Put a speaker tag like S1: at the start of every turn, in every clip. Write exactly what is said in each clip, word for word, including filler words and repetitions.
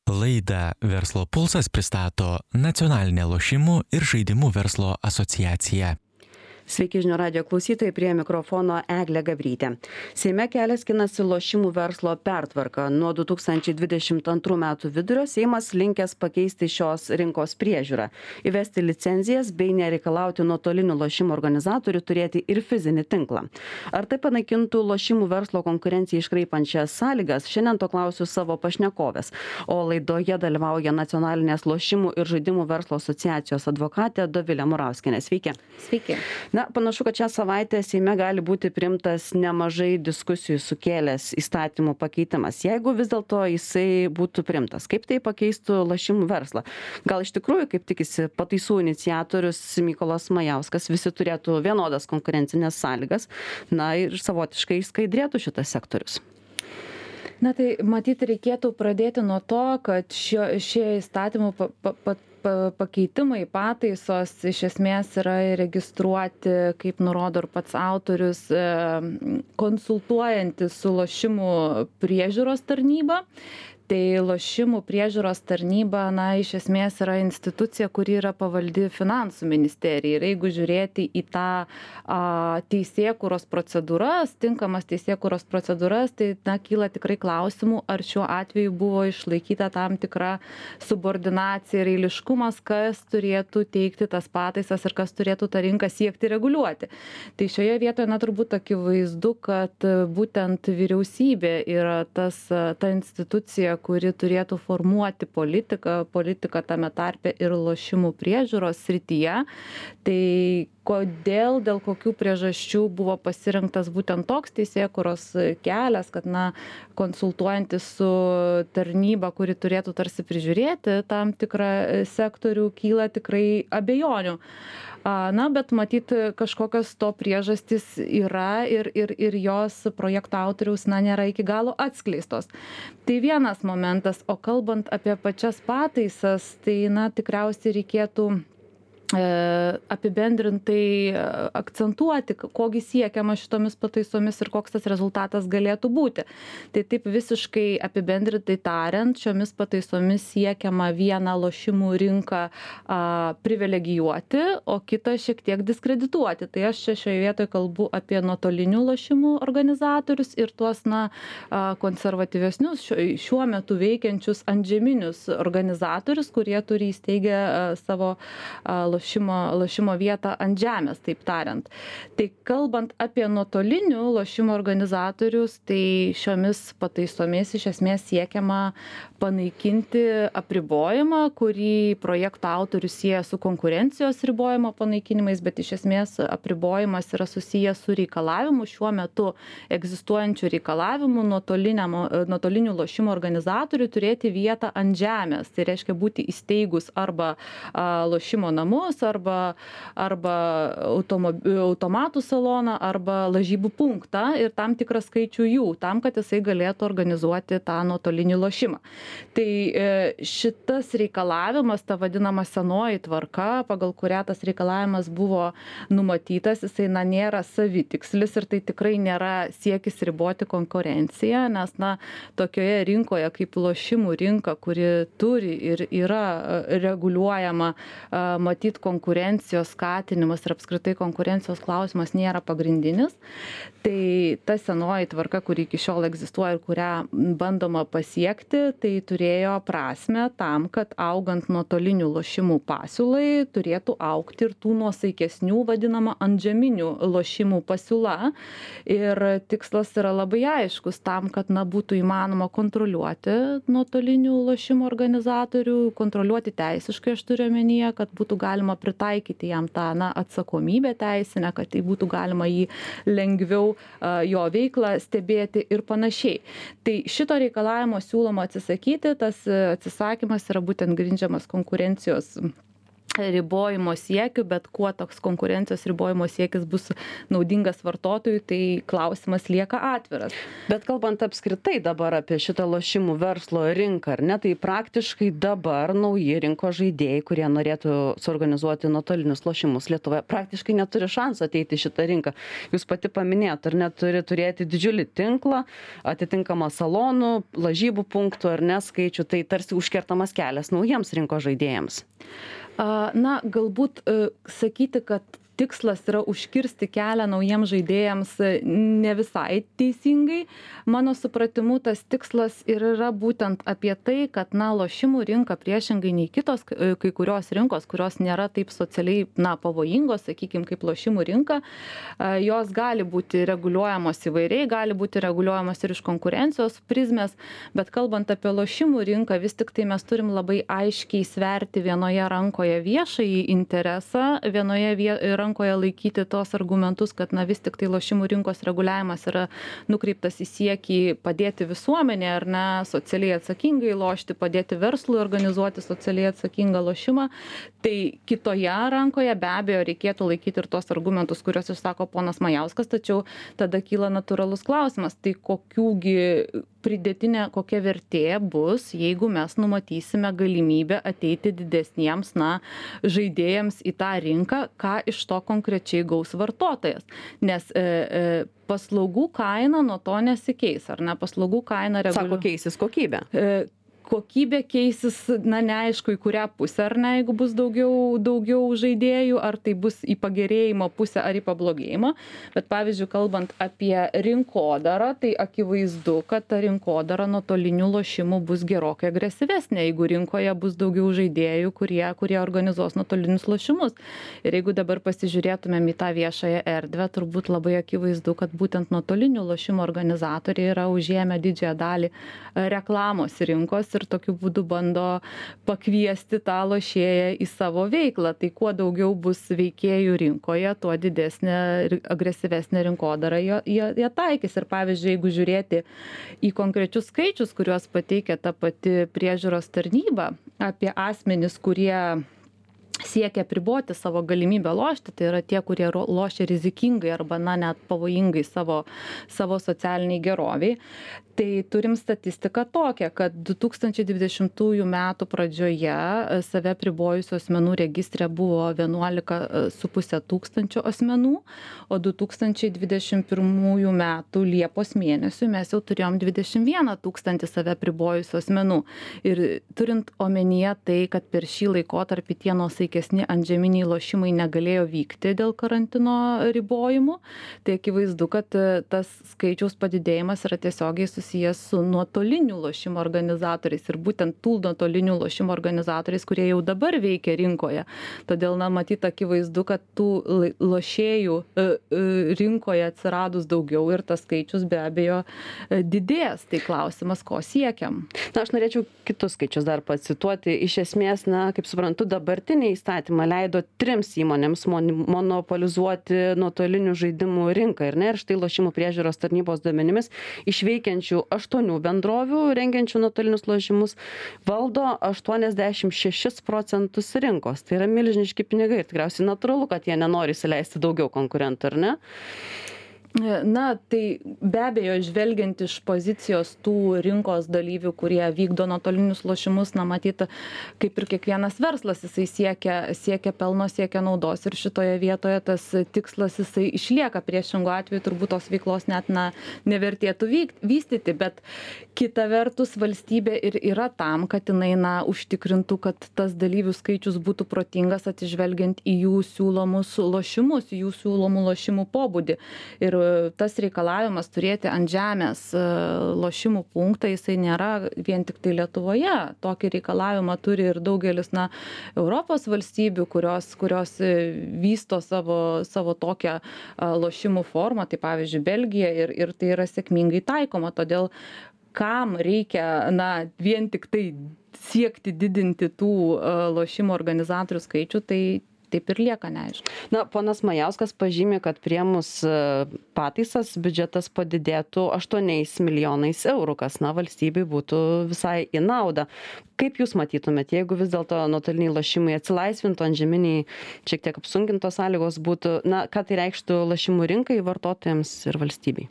S1: Laidą Verslo pulsas pristato Nacionalinė lošimų ir žaidimų verslo asociacija.
S2: Sveiki žinių radijo klausytojai, prie mikrofono Eglė Gabrytė. Seime kelias skinasi lošimų verslo pertvarka. Nuo du tūkstančiai dvidešimt antrų metų vidurio Seimas linkęs pakeisti šios rinkos priežiūrą, įvesti licenzijas bei nereikalauti nuotolinių lošimų organizatorių turėti ir fizinį tinklą. Ar tai panaikintų lošimų verslo konkurenciją iškraipančias sąlygas? Šiandien to klausiu savo pašnekovės. O laidoje dalyvauja Nacionalinės lošimų ir žaidimų verslo asociacijos advokatė Dovilė Murauskienė. Sveiki.
S3: Sveiki.
S2: Na, panašu, kad šią savaitę Seime gali būti priimtas nemažai diskusijų sukėlęs įstatymų pakeitimas. Jeigu vis dėlto jisai būtų priimtas, kaip tai pakeistų lošimų verslą? Gal iš tikrųjų, kaip tikisi pataisų iniciatorius Mykolas Majauskas, visi turėtų vienodas konkurencinės sąlygas, na ir savotiškai skaidrėtų šitas sektorius?
S3: Na tai matyt reikėtų pradėti nuo to, kad šio, šie įstatymų pa, pa, pa, pakeitimai, pataisos iš esmės yra registruoti, kaip nurodo ir pats autorius, konsultuojantis su lošimų priežiūros tarnyba. Tai lošimų priežiūros tarnyba, na, iš esmės yra institucija, kuri yra pavaldi finansų ministerijai. Ir jeigu žiūrėti į tą a, teisėkūros procedūras, tinkamas teisėkūros procedūras, tai, na, kyla tikrai klausimų, ar šiuo atveju buvo išlaikyta tam tikra subordinacija ir eiliškumas, kas turėtų teikti tas pataisas ir kas turėtų tą rinką siekti reguliuoti. Tai šioje vietoje, na, turbūt akivaizdu, kad būtent vyriausybė yra tas, ta institucija, kuri turėtų formuoti politiką, politiką tame tarpe ir lošimų priežiūros srityje. Tai kodėl, dėl kokių priežasčių buvo pasirinktas būtent toks teisėkūros kelias, kad, na, konsultuojantis su tarnyba, kuri turėtų tarsi prižiūrėti tam tikrą sektorių, kyla tikrai abejonių. Na, bet matyt, kažkokios to priežastys yra ir, ir, ir jos projekto autoriaus, na, nėra iki galo atskleistos. Tai vienas momentas, o kalbant apie pačias pataisas, tai, na, tikriausiai reikėtų apibendrintai akcentuoti, kogi siekiama šitomis pataisomis ir koks tas rezultatas galėtų būti. Tai taip visiškai apibendrintai tariant, šiomis pataisomis siekiama vieną lošimų rinką a, privilegijuoti, o kitą šiek tiek diskredituoti. Tai aš čia šioje vietoje kalbu apie nuotolinių lošimų organizatorius ir tuos, na, konservatyvesnius šiuo metu veikiančius antžeminius organizatorius, kurie turi įsteigę savo lošimų Lošimo, lošimo vietą ant žemės, taip tariant. Tai kalbant apie nuotolinių lošimo organizatorius, tai šiomis pataisomis iš esmės siekiama panaikinti apribojimą, kurį projekto autorius sieja su konkurencijos ribojimo panaikinimais, bet iš esmės apribojimas yra susijęs su reikalavimu, šiuo metu egzistuojančių reikalavimų nuotolinių lošimo organizatorių turėti vietą ant žemės. Tai reiškia būti įsteigus arba a, lošimo namus, arba, arba automatų saloną, arba lažybų punktą ir tam tikrą skaičių jų, tam, kad jisai galėtų organizuoti tą nuotolinį lošimą. Tai šitas reikalavimas, ta vadinama senoji tvarka, pagal kurią tas reikalavimas buvo numatytas, jisai, na, nėra savitikslis ir tai tikrai nėra siekis riboti konkurenciją, nes, na, tokioje rinkoje kaip lošimų rinka, kuri turi ir yra reguliuojama, matyt, konkurencijos skatinimas ir apskritai konkurencijos klausimas nėra pagrindinis. Tai ta senoji tvarka, kuri iki šiol egzistuoja ir kurią bandoma pasiekti, tai turėjo prasmę tam, kad augant nuotolinių lošimų pasiūlai turėtų augti ir tų nuosaikesnių vadinama antžeminių lošimų pasiūla. Ir tikslas yra labai aiškus tam, kad, na, būtų įmanoma kontroliuoti nuotolinių lošimų organizatorių, kontroliuoti teisiškai, aš turiu omenyje, kad būtų galima pritaikyti jam tą, na, atsakomybę teisinę, kad tai būtų galima jį lengviau uh, jo veiklą stebėti ir panašiai. Tai šito reikalavimo siūloma atsisakyti, tas atsisakymas yra būtent grindžiamas konkurencijos ribojimo siekiu, bet kuo toks konkurencijos ribojimo siekis bus naudingas vartotojui, tai klausimas lieka atviras.
S2: Bet kalbant apskritai dabar apie šitą lošimų verslo rinką, ar ne, tai praktiškai dabar nauji rinkos žaidėjai, kurie norėtų suorganizuoti nuotolinius lošimus Lietuvoje, praktiškai neturi šansų ateiti į šitą rinką. Jūs pati paminėjot, ar ne, turi turėti didžiulį tinklą, atitinkamą salonų, lažybų punktų ar ne skaičių, tai tarsi užkertamas kelias naujiems rinkos žaidėjams.
S3: Na, galbūt sakyti, kad tikslas yra užkirsti kelią naujiems žaidėjams ne visai teisingai. Mano supratimu, tas tikslas ir yra būtent apie tai, kad, na, lošimų rinka priešingai nei kitos kai kurios rinkos, kurios nėra taip socialiai, na, pavojingos, sakykime, kaip lošimų rinka, jos gali būti reguliuojamos įvairiai, gali būti reguliuojamos ir iš konkurencijos prizmės, bet kalbant apie lošimų rinką, vis tik tai mes turim labai aiškiai sverti vienoje rankoje viešąjį interesą, vienoje rankoje rankoje laikyti tos argumentus, kad, na, vis tik tai lošimų rinkos reguliavimas yra nukreiptas į siekį padėti visuomenė, ar ne, socialiai atsakingai lošti, padėti verslui organizuoti socialiai atsakingą lošimą. Tai kitoje rankoje be abejo reikėtų laikyti ir tos argumentus, kuriuos išsako ponas Majauskas, tačiau tada kyla natūralus klausimas, tai kokiųgi pridėtinė kokia vertė bus, jeigu mes numatysime galimybę ateiti didesniems, na, žaidėjams į tą rinką, ką iš to konkrečiai gaus vartotojas. Nes e, e, paslaugų kaina nuo to nesikeis, ar ne? Paslaugų kaina reguliuoja.
S2: Sako, keisis kokybė.
S3: E, kokybė keisis, na, neaišku, į kurią pusę, ar ne, jeigu bus daugiau, daugiau žaidėjų, ar tai bus į pagerėjimo pusę ar į pablogėjimą. Bet, pavyzdžiui, kalbant apie rinkodarą, tai akivaizdu, kad ta rinkodara nuotolinių lošimų bus gerokai agresyvesnė, jeigu rinkoje bus daugiau žaidėjų, kurie, kurie organizuos nuotolinius lošimus. Ir jeigu dabar pasižiūrėtumėm į tą viešąją erdvę, turbūt labai akivaizdu, kad būtent nuotolinių lošimų organizatoriai yra užėmę didžiąją dalį reklamos rinkos ir tokiu būdu bando pakviesti tą lošėją į savo veiklą. Tai kuo daugiau bus veikėjų rinkoje, tuo didesnė ir agresyvesnė rinkodara jie, jie, jie taikys. Ir pavyzdžiui, jeigu žiūrėti į konkrečius skaičius, kuriuos pateikia ta pati priežiūros tarnyba apie asmenis, kurie siekia apriboti savo galimybę lošti, tai yra tie, kurie lošia rizikingai arba, na, net pavojingai savo, savo socialiniai geroviai. Tai turim statistiką tokią, kad du tūkstančiai dvidešimtųjų metų pradžioje save apribojusių asmenų registre buvo vienuolika su puse tūkstančio asmenų, o du tūkstančiai dvidešimt pirmųjų metų Liepos mėnesių mes jau turėjom dvidešimt vieną tūkstantį save apribojusių asmenų. Ir turint omenyje tai, kad per šį laikotarpį tie nuosaikesni antžeminiai lošimai negalėjo vykti dėl karantino ribojimų, tai akivaizdu, kad tas skaičiaus padidėjimas yra tiesiogiai susijęs su nuotolinių lošimų organizatoriais ir būtent tų nuotolinių lošimų organizatoriais, kurie jau dabar veikia rinkoje. Todėl, na, matyt, akivaizdu, kad tų lošėjų rinkoje atsiradus daugiau ir tas skaičius be abejo didės. Tai klausimas, ko siekiam.
S2: Na, aš norėčiau kitus skaičius dar pacituoti. Iš esmės, na, kaip suprantu, dabartiniai įstatymai leido trims įmonėms monopolizuoti nuotolinių žaidimų rinką. Ir, ne, ir štai lošimų priežiūros tarnybos duomenimis iš veikiančių aštuonių bendrovių rengiančių nuotolinius lošimus valdo aštuoniasdešimt šešis procentus rinkos. Tai yra milžiniški pinigai ir tikriausiai natūralu, kad jie nenori įsileisti daugiau konkurentų, ar ne?
S3: Na, tai be abejo, žvelgiant iš pozicijos tų rinkos dalyvių, kurie vykdo nuotolinius lošimus, na, matyt, kaip ir kiekvienas verslas, jisai siekia, siekia pelno, siekia naudos ir šitoje vietoje tas tikslas jisai išlieka. Priešingų atveju turbūt tos veiklos net, na, nevertėtų vykt, vystyti, bet kita vertus valstybė ir yra tam, kad jinai, na, užtikrintų, kad tas dalyvių skaičius būtų protingas atsižvelgiant į jų siūlomus lošimus, į jų siūlomų lošimų pobūdį. Ir tas reikalavimas turėti ant žemės lošimų punktą, jisai nėra vien tik tai Lietuvoje. Tokį reikalavimą turi ir daugelis, na, Europos valstybių, kurios, kurios vysto savo, savo tokią lošimų formą, tai pavyzdžiui Belgija, ir, ir tai yra sėkmingai taikoma. Todėl kam reikia, na, vien tik tai siekti didinti tų lošimų organizatorių skaičių, tai taip ir lieka neaišku.
S2: Na, ponas Majauskas pažymė, kad priėmus pataisas biudžetas padidėtų aštuoniais milijonais eurų, kas, na, valstybei būtų visai į naudą. Kaip jūs matytumėt, jeigu vis dėlto nuotoliniai lošimai atsilaisvintų, antžeminiai šiek tiek apsunkintos sąlygos būtų, na, ką tai reikštų lošimų rinkai, vartotojams ir valstybei?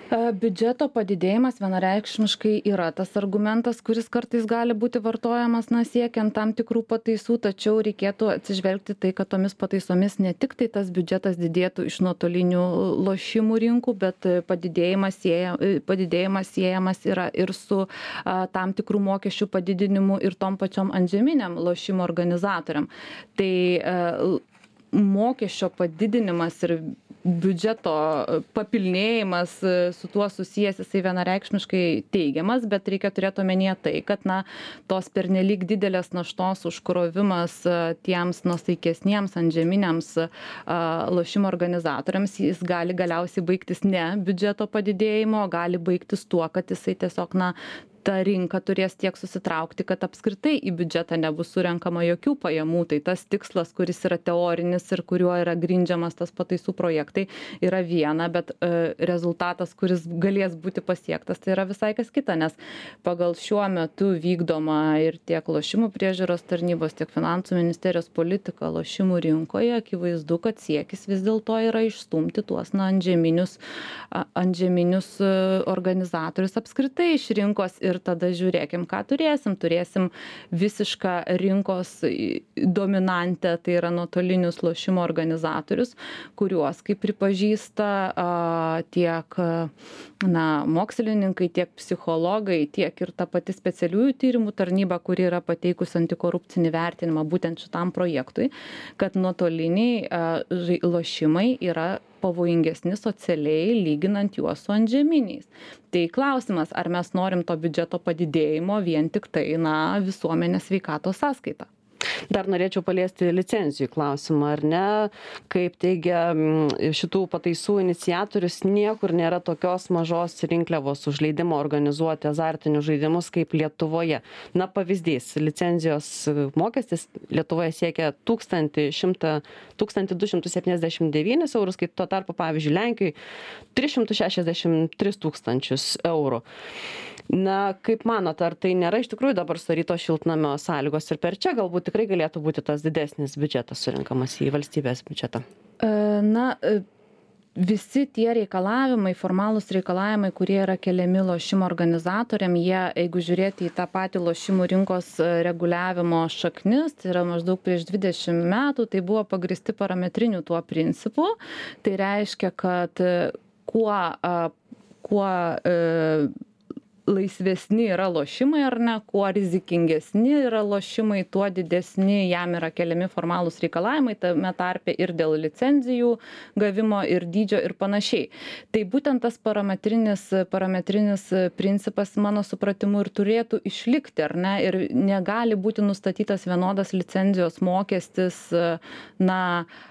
S3: Biudžeto padidėjimas vienareikšmiškai yra tas argumentas, kuris kartais gali būti vartojamas, na, siekiant tam tikrų pataisų, tačiau reikėtų atsižvelgti tai, kad tomis pataisomis ne tik tai tas biudžetas didėtų iš nuotolinių lošimų rinkų, bet padidėjimas, sieja, padidėjimas siejamas yra ir su a, tam tikrų mokesčių padidinimu ir tom pačiom antžeminiam lošimų organizatoriam. Tai a, mokesčio padidinimas ir biudžeto papilnėjimas su tuo susijęs, jisai vienareikšmiškai teigiamas, bet reikia turėti omenyje tai, kad, na, tos pernelyg didelės naštos užkrovimas tiems nuosaikesniems antžeminiams lošimo organizatoriams, jis gali galiausiai baigtis ne biudžeto padidėjimo, gali baigtis tuo, kad jisai tiesiog, na, ta rinka turės tiek susitraukti, kad apskritai į biudžetą nebus surenkama jokių pajamų. Tai tas tikslas, kuris yra teorinis ir kuriuo yra grindžiamas tas pataisų projektai, yra viena, bet e, rezultatas, kuris galės būti pasiektas, tai yra visai kas kita, nes pagal šiuo metu vykdoma ir tiek lošimų priežiūros tarnybos, tiek finansų ministerijos politika lošimų rinkoje, akivaizdu, kad siekis vis dėlto yra išstumti tuos, na, antžeminius, antžeminius organizatorius apskritai iš rinkos. Ir tada žiūrėkim, ką turėsim. Turėsim visišką rinkos dominantę, tai yra nuotolinius lošimo organizatorius, kuriuos, kaip pripažįsta a, tiek na, mokslininkai, tiek psichologai, tiek ir ta pati specialiųjų tyrimų tarnyba, kuri yra pateikusi antikorupcinį vertinimą būtent šitam projektui, kad nuotoliniai a, lošimai yra pavojingesni socialiai, lyginant juos su antžeminiais. Tai klausimas, ar mes norim to biudžeto padidėjimo vien tik tai, na, visuomenės sveikatos sąskaita.
S2: Dar norėčiau paliesti licencijų klausimą, ar ne? Kaip teigia šitų pataisų iniciatorius, niekur nėra tokios mažos rinkliavos už leidimą organizuoti azartinius žaidimus kaip Lietuvoje. Na, pavyzdys, licenzijos mokestis Lietuvoje siekia tūkstantį du šimtus septyniasdešimt devynis eurus, kai tuo tarpu, pavyzdžiui, Lenkijoje tris šimtus šešiasdešimt tris tūkstančius eurų. Na, kaip manot, ar tai nėra iš tikrųjų dabar sudarytos šiltnamio sąlygos ir per čia galbūt tikrai galėtų būti tas didesnis biudžetas surinkamas į valstybės biudžetą?
S3: Na, visi tie reikalavimai, formalūs reikalavimai, kurie yra keliami lošimo organizatoriam, jie, jeigu žiūrėti į tą patį lošimų rinkos reguliavimo šaknis, tai yra maždaug prieš dvidešimt metų, tai buvo pagristi parametriniu tuo principu. Tai reiškia, kad kuo, kuo laisvesni yra lošimai ar ne, kuo rizikingesni yra lošimai, tuo didesni jam yra keliami formalūs reikalavimai, tame tarpe ir dėl licenzijų gavimo ir dydžio ir panašiai. Tai būtent tas parametrinis, parametrinis principas, mano supratimu, ir turėtų išlikti, ar ne, ir negali būti nustatytas vienodas licenzijos mokestis, na,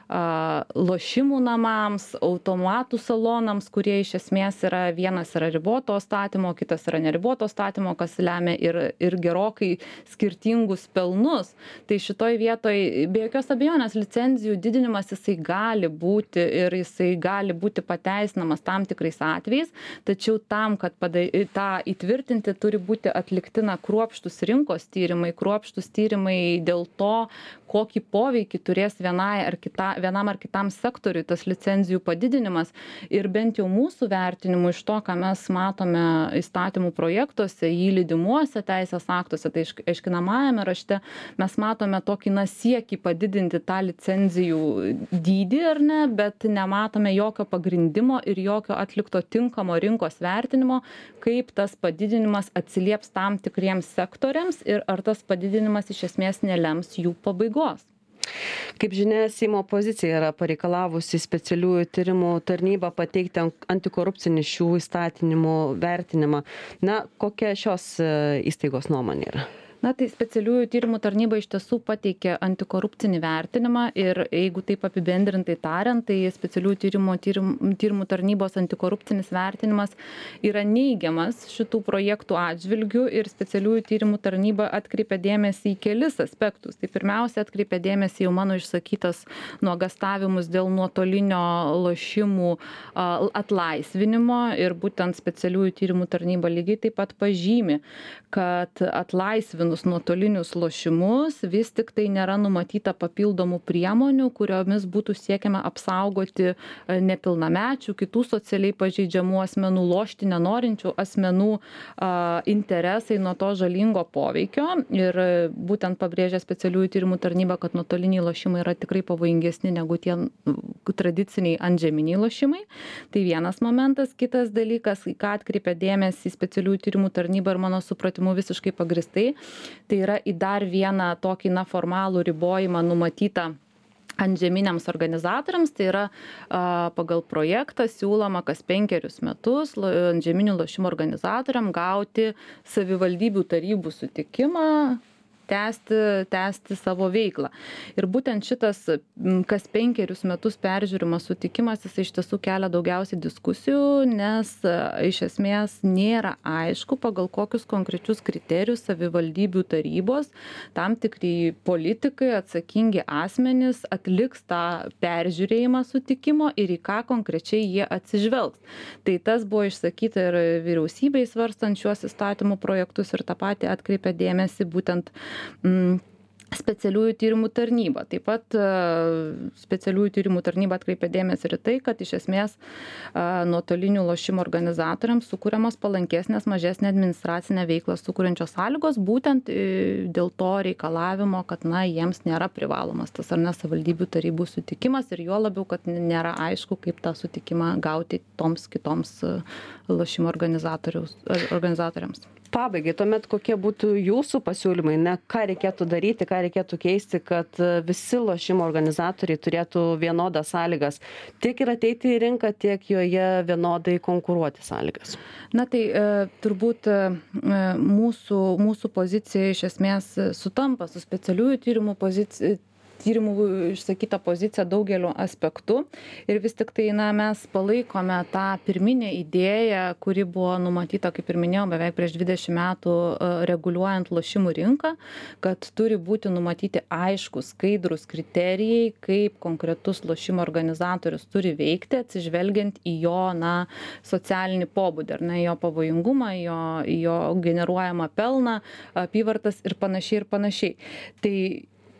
S3: lošimų namams, automatų salonams, kurie iš esmės yra, vienas yra riboto statymo, kitas yra neriboto statymo, kas lemia ir, ir gerokai skirtingus pelnus. Tai šitoj vietoj be jokios abejonės licenzijų didinimas jisai gali būti ir jisai gali būti pateisinamas tam tikrais atvejais, tačiau tam, kad pada, tą įtvirtinti, turi būti atlikti na, kruopštus rinkos tyrimai, kruopštus tyrimai dėl to, kokį poveikį turės vienai ar kita, vienam ar kitam sektoriui tas licenzijų padidinimas. Ir bent jau mūsų vertinimu iš to, ką mes matome įstatymų projektuose, jį lydimuose teisės aktuose, tai aiškinamajame rašte, mes matome tokį na, siekį padidinti tą licenzijų dydį, ar ne, bet nematome jokio pagrindimo ir jokio atlikto tinkamo rinkos vertinimo, kaip tas padidinimas atsilieps tam tikriems sektoriams ir ar tas padidinimas iš esmės nelems jų pabaigos.
S2: Kaip žinia, Seimo opozicija yra pareikalavusi specialiųjų tyrimų tarnybą pateikti antikorupcinį šių įstatymų vertinimą. Na, kokia šios įstaigos nuomonė yra?
S3: Na, tai specialiųjų tyrimų tarnyba iš tiesų pateikė antikorupcinį vertinimą ir jeigu taip apibendrintai tariant, tai specialiųjų tyrimų, tyrimų, tyrimų tarnybos antikorupcinis vertinimas yra neigiamas šitų projektų atžvilgių ir specialiųjų tyrimų tarnyba atkreipia dėmesį į kelis aspektus. Tai pirmiausia, atkreipia dėmesį jau mano išsakytas nuogastavimus dėl nuotolinio lošimų atlaisvinimo ir būtent specialiųjų tyrimų tarnyba lygiai taip pat pažymi, kad atlaisvinus nuotolinius lošimus vis tik tai nėra numatyta papildomų priemonių, kuriomis būtų siekiama apsaugoti nepilnamečių, kitų socialiai pažeidžiamų asmenų, lošti nenorinčių asmenų a, interesai nuo to žalingo poveikio. Ir būtent pabrėžia specialiųjų tyrimų tarnyba, kad nuotoliniai lošimai yra tikrai pavojingesni negu tie tradiciniai antžeminiai lošimai. Tai vienas momentas. Kitas dalykas, į ką atkreipia dėmesį specialiųjų tyrimų tarnyba ir mano supratimu visiškai pagristai, tai yra į dar vieną tokį na, formalų ribojimą numatytą antžeminiams organizatoriams, tai yra a, pagal projektą siūloma kas penkerius metus antžeminių lošimų organizatoriam gauti savivaldybių tarybų sutikimą tęsti, tęsti savo veiklą. Ir būtent šitas kas penkerius metus peržiūrimas sutikimas, jis iš tiesų kelia daugiausiai diskusijų, nes iš esmės nėra aišku, pagal kokius konkrečius kriterijus savivaldybių tarybos tam tikri politikai, atsakingi asmenys atliks tą peržiūrėjimą sutikimo ir į ką konkrečiai jie atsižvelgs. Tai tas buvo išsakyta ir vyriausybei svarstant šiuos įstatymų projektus ir tą patį atkreipia dėmesį būtent specialiųjų tyrimų tarnyba. Taip pat specialiųjų tyrimų tarnyba atkreipia dėmesį ir tai, kad iš esmės nuotolinių lošimų organizatoriams sukūriamos palankesnės, mažesnė administracinė veikla sukūrenčios sąlygos, būtent dėl to reikalavimo, kad na, jiems nėra privalomas tas ar ne savivaldybių tarybų sutikimas ir juo labiau, kad nėra aišku, kaip tą sutikimą gauti toms kitoms lošimų organizatoriams.
S2: Pabaigai, tuomet kokie būtų jūsų pasiūlymai, ne ką reikėtų daryti, ką reikėtų keisti, kad visi lošimo organizatoriai turėtų vienodas sąlygas, tiek ir ateiti į rinką, tiek joje vienodai konkuruoti sąlygas?
S3: Na tai e, turbūt e, mūsų, mūsų pozicija iš esmės sutampa su specialiųjų tyrimų pozicija. tyrimų išsakyta pozicija daugeliu aspektų ir vis tik tai na, mes palaikome tą pirminę idėją, kuri buvo numatyta, kaip ir minėjau, beveik prieš dvidešimt metų reguliuojant lošimų rinką, kad turi būti numatyti aiškus, skaidrus kriterijai, kaip konkretus lošimų organizatorius turi veikti, atsižvelgiant į jo na, socialinį pobūdį, ar ne, jo pavojingumą, jo, jo generuojamą pelną, apyvartas ir panašiai ir panašiai. Tai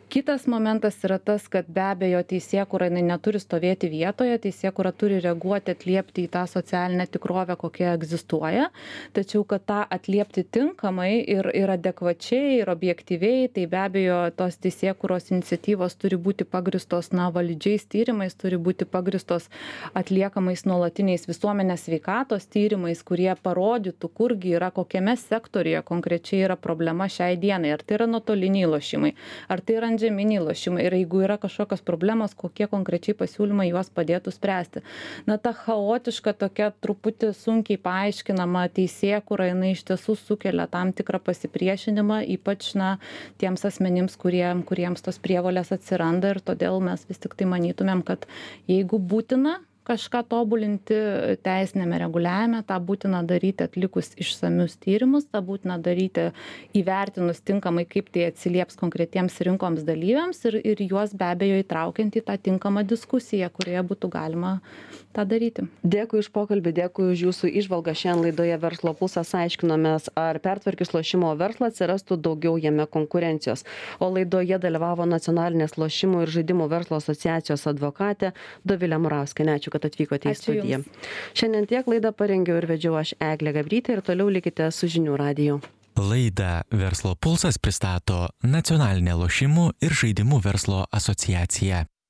S3: kitas momentas yra tas, kad be abejo teisėkūra jinai neturi stovėti vietoje, teisėkūra turi reaguoti, atliepti į tą socialinę tikrovę, kokia egzistuoja, tačiau kad tą atliepti tinkamai ir, ir adekvačiai, ir objektyviai, tai be abejo tos teisėkūros iniciatyvos turi būti pagristos na, validžiais tyrimais, turi būti pagristos atliekamais nuolatiniais visuomenės sveikatos tyrimais, kurie parodytų, kurgi yra, kokiame sektoriuje konkrečiai yra problema šiai dienai, ar tai yra nuotoliniai lošimai, ar tai yra žeminiai lošimai ir jeigu yra kažkokios problemos, kokie konkrečiai pasiūlymai juos padėtų spręsti. Na, ta chaotiška tokia truputį sunkiai paaiškinama teisėkūra, jinai iš tiesų sukelia tam tikrą pasipriešinimą, ypač na, tiems asmenims, kurie, kuriems tos prievolės atsiranda ir todėl mes vis tik tai manytumėm, kad jeigu būtina kažką tobulinti teisinėme reguliavime, tą būtina daryti atlikus išsamius tyrimus, tą būtina daryti įvertinus tinkamai, kaip tai atsilieps konkretiems rinkoms dalyviams ir, ir juos be abejo įtraukiant į tą tinkamą diskusiją, kurioje būtų galima tą daryti.
S2: Dėkui už pokalbį, dėkui už jūsų įžvalgą. Šiandien laidoje Verslo pulsas aiškinomės, ar pertvarkius lošimo verslą atsirastų daugiau jame konkurencijos. O laidoje dalyvavo Nacionalinės lošimų ir žaidimų verslo asociacijos advokatė Dovilė Murauskienė. Ačiū, kad atvykote į studiją. Šiandien tiek laidą parengiau ir vedžiau aš Eglė Gabrytė ir toliau likite su Žinių radiju.
S1: Laidą Verslo pulsas pristato Nacionalinė lošimų ir žaidimų verslo asociacija.